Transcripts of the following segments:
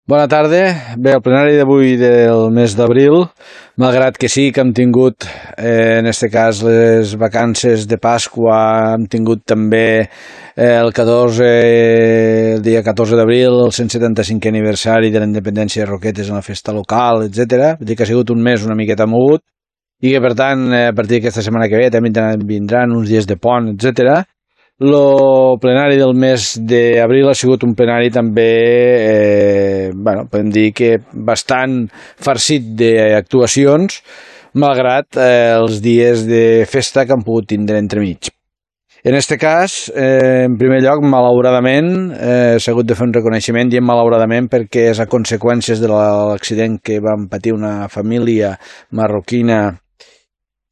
Bona tarda. Bé, el plenari d'avui del mes d'abril, malgrat que sí que hem tingut, en este cas, les vacances de Pasqua, hem tingut també el dia 14 d'abril, el 175è aniversari de la independència de Roquetes en la festa local, etc. Vull dir que ha sigut un mes una miqueta mogut i que, per tant, a partir d'aquesta setmana que ve també vindran uns dies de pont, etc. El plenari del mes d'abril ha sigut un plenari també, podem dir que bastant farcit d'actuacions, malgrat els dies de festa que han pogut tindre entremig. En aquest cas, en primer lloc, malauradament, s'ha hagut de fer un reconeixement, diem malauradament perquè és a conseqüències de l'accident que van patir una família marroquina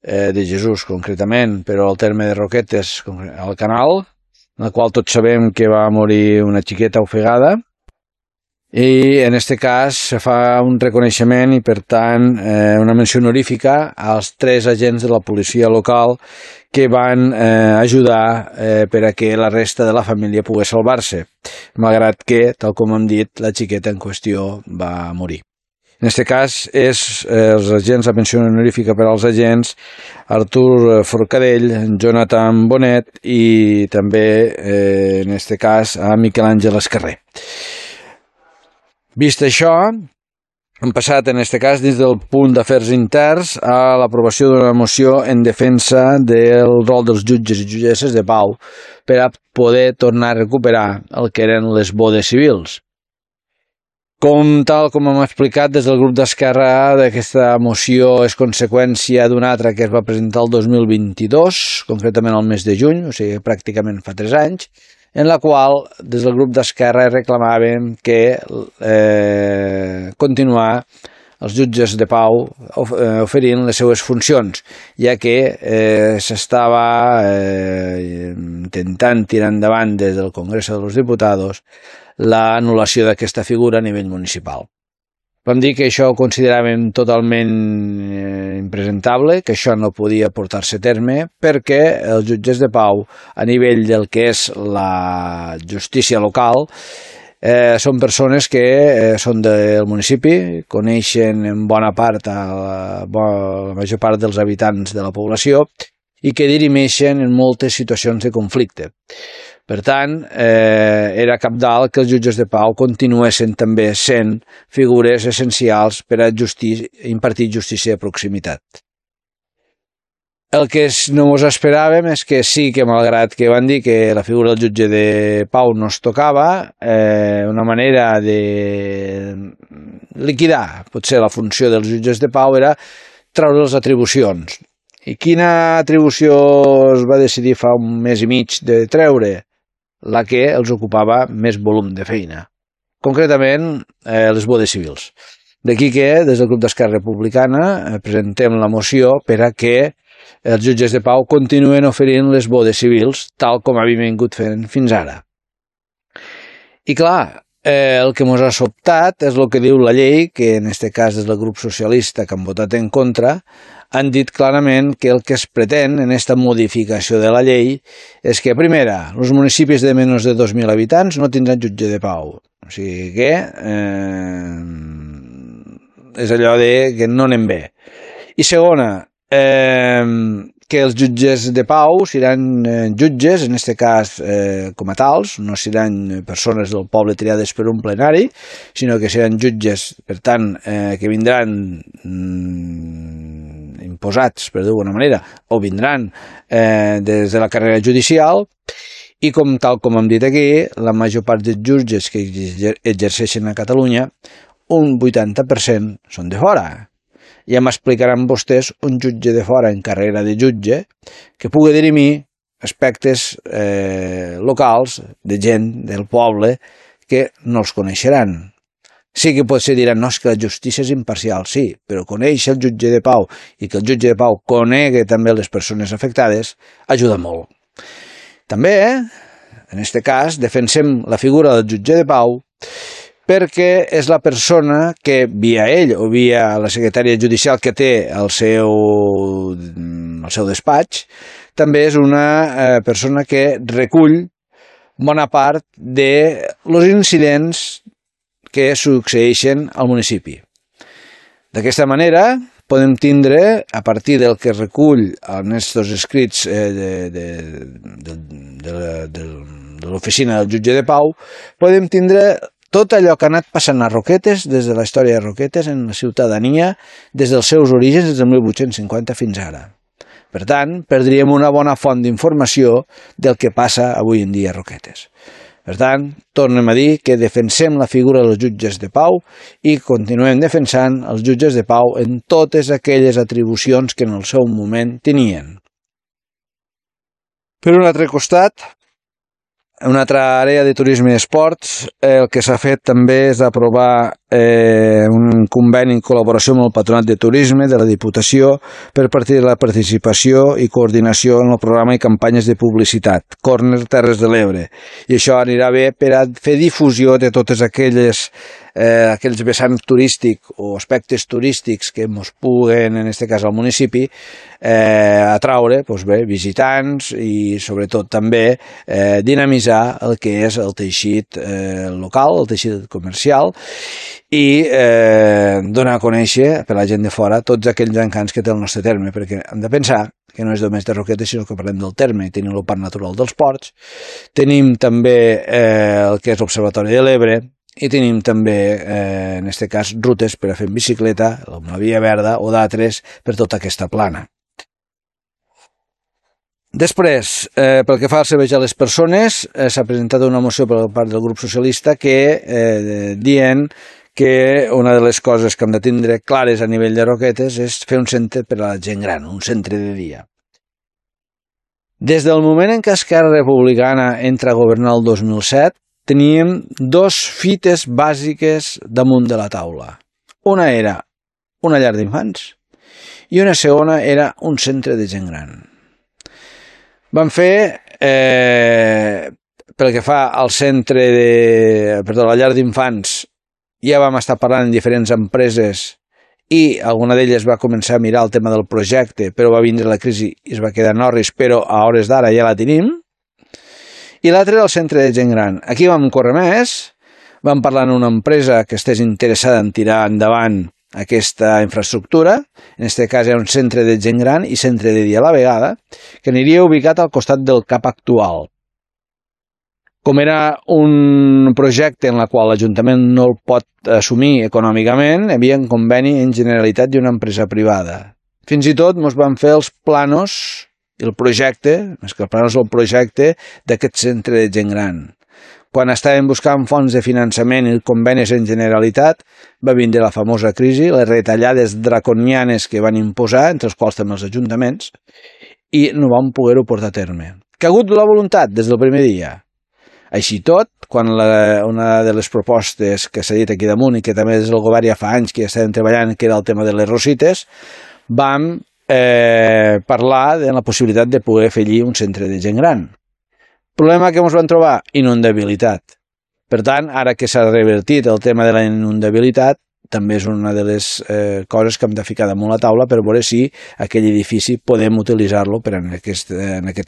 de Jesús, concretament, però al terme de Roquetes, al Canal, en el qual tots sabem que va morir una xiqueta ofegada, i en aquest cas se fa un reconeixement i, per tant, una menció honorífica als 3 agents de la policia local que van ajudar per a que la resta de la família pogués salvar-se, malgrat que, tal com hem dit, la xiqueta en qüestió va morir. En aquest cas és els agents, la menció honorífica per als agents Artur Forcadell, Jonathan Bonet i també, en aquest cas, a Miquel Àngel Escarrer. Vist això, hem passat, en aquest cas, dins del punt d'afers interns a l'aprovació d'una moció en defensa del rol dels jutges i jutgesses de pau per a poder tornar a recuperar el que eren les bodes civils. Tal com hem explicat des del grup d'Esquerra, aquesta moció és conseqüència d'una altra que es va presentar el 2022, concretament al mes de juny, o sigui, pràcticament fa 3 anys, en la qual, des del grup d'Esquerra, reclamàvem que continuar els jutges de pau oferint les seues funcions, ja que s'estava intentant tirar endavant des del Congreso de los Diputados l'anul·lació d'aquesta figura a nivell municipal. Vam dir que això ho consideràvem totalment impresentable, que això no podia portar-se a terme, perquè els jutges de pau, a nivell del que és la justícia local, són persones que són del municipi, coneixen en bona part la major part dels habitants de la població i que dirimeixen en moltes situacions de conflicte. Per tant, era cabdal que els jutges de pau continuessin també sent figures essencials per a impartir justícia de proximitat. El que no ens esperàvem és que sí que, malgrat que van dir que la figura del jutge de pau no es tocava, una manera de liquidar potser la funció dels jutges de pau era treure les atribucions. I quina atribució es va decidir fa un mes i mig de treure? La que els ocupava més volum de feina, concretament les bodes civils. D'aquí que, des del grup d'Esquerra Republicana, presentem la moció per a que els jutges de pau continuen oferint les bodes civils tal com havien vingut fent fins ara. I clar, el que ens ha sobtat és el que diu la llei, que en aquest cas és el grup socialista que han votat en contra, han dit clarament que el que es pretén en aquesta modificació de la llei és que, primera, els municipis de menys de 2.000 habitants no tindran jutge de pau. O sigui que és allò que no anem bé. I segona, que els jutges de pau seran jutges, en aquest cas com a tals, no seran persones del poble triades per un plenari, sinó que seran jutges, per tant, que vindran imposats, per dir-ho d'alguna manera, o vindran des de la carrera judicial, i tal com hem dit aquí, la major part dels jutges que exerceixen a Catalunya, un 80% són de fora. Ja m'explicaran vostès un jutge de fora en carrera de jutge que pugui dirimir aspectes locals de gent del poble que no els coneixeran. Sí que potser diran, no, és que la justícia és imparcial, sí, però conèixer el jutge de pau i que el jutge de pau conegui també les persones afectades ajuda molt. També, en aquest cas, defensem la figura del jutge de pau perquè és la persona que, via ell o via la secretària judicial que té el seu despatx, també és una persona que recull bona part dels incidents que succeeixen al municipi. D'aquesta manera, podem tindre, a partir del que recull en aquests escrits de l'oficina del jutge de pau, podem tindre tot allò que ha anat passant a Roquetes, des de la història de Roquetes, en la ciutadania, des dels seus orígens, des del 1850 fins ara. Per tant, perdríem una bona font d'informació del que passa avui en dia a Roquetes. Per tant, tornem a dir que defensem la figura dels jutges de pau i continuem defensant els jutges de pau en totes aquelles atribucions que en el seu moment tenien. Per un altre costat, una altra àrea de turisme i esports, el que s'ha fet també és aprovar un conveni en col·laboració amb el Patronat de Turisme de la Diputació per partir de la participació i coordinació en el programa i campanyes de publicitat Corner Terres de l'Ebre. I això anirà bé per a fer difusió de totes aquells vessants turístics o aspectes turístics que ens puguen, en aquest cas al municipi, atraure visitants i sobretot també dinamitzar el que és el teixit local, el teixit comercial i donar a conèixer per a la gent de fora tots aquells encants que té el nostre terme, perquè hem de pensar que no és només de Roquetes, sinó que parlem del terme. Tenim el Parc Natural dels Ports, tenim també el que és l'Observatori de l'Ebre, i tenim també, en aquest cas, rutes per a fer en bicicleta, com la Via Verda o d'altres per tota aquesta plana. Després, pel que fa al servei a les persones, s'ha presentat una moció per part del grup socialista que dient que una de les coses que hem de tindre clares a nivell de Roquetes és fer un centre per a la gent gran, un centre de dia. Des del moment en què Esquerra Republicana entra a governar el 2007, teníem dos fites bàsiques damunt de la taula. Una era una llar d'infants i una segona era un centre de gent gran. Vam fer, pel que fa al la llar d'infants, ja vam estar parlant amb diferents empreses i alguna d'elles va començar a mirar el tema del projecte, però va vindre la crisi i es va quedar en orris, però a hores d'ara ja la tenim. I l'altre era el centre de gent gran. Aquí vam córrer més, vam parlar amb una empresa que estigués interessada en tirar endavant aquesta infraestructura, en aquest cas era un centre de gent gran i centre de dia a la vegada, que aniria ubicat al costat del CAP actual. Com era un projecte en el qual l'Ajuntament no el pot assumir econòmicament, hi havia un conveni en Generalitat i una empresa privada. Fins i tot ens van fer els planos i el projecte, més que el planos el projecte d'aquest centre de gent gran. Quan estàvem buscant fons de finançament i convenis en Generalitat, va vindre la famosa crisi, les retallades draconianes que van imposar, entre els quals també els ajuntaments, i no vam poder-ho portar a terme. Que ha hagut la voluntat des del primer dia. Així tot, quan una de les propostes que s'ha dit aquí damunt i que també des del govern ja fa anys que ja estàvem treballant, que era el tema de les Rosites, vam parlar de la possibilitat de poder fer allí un centre de gent gran. Problema que ens vam trobar? Inundabilitat. Per tant, ara que s'ha revertit el tema de la inundabilitat, també és una de les coses que hem de ficar damunt la taula per veure si aquell edifici podem utilitzar-lo per en aquest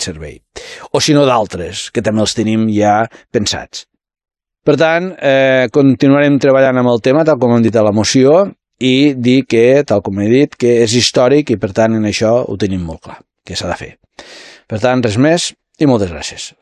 servei. O si no d'altres, que també els tenim ja pensats. Per tant, continuarem treballant amb el tema, tal com hem dit a la moció, i dir que, tal com he dit, que és històric i per tant en això ho tenim molt clar, que s'ha de fer. Per tant, res més i moltes gràcies.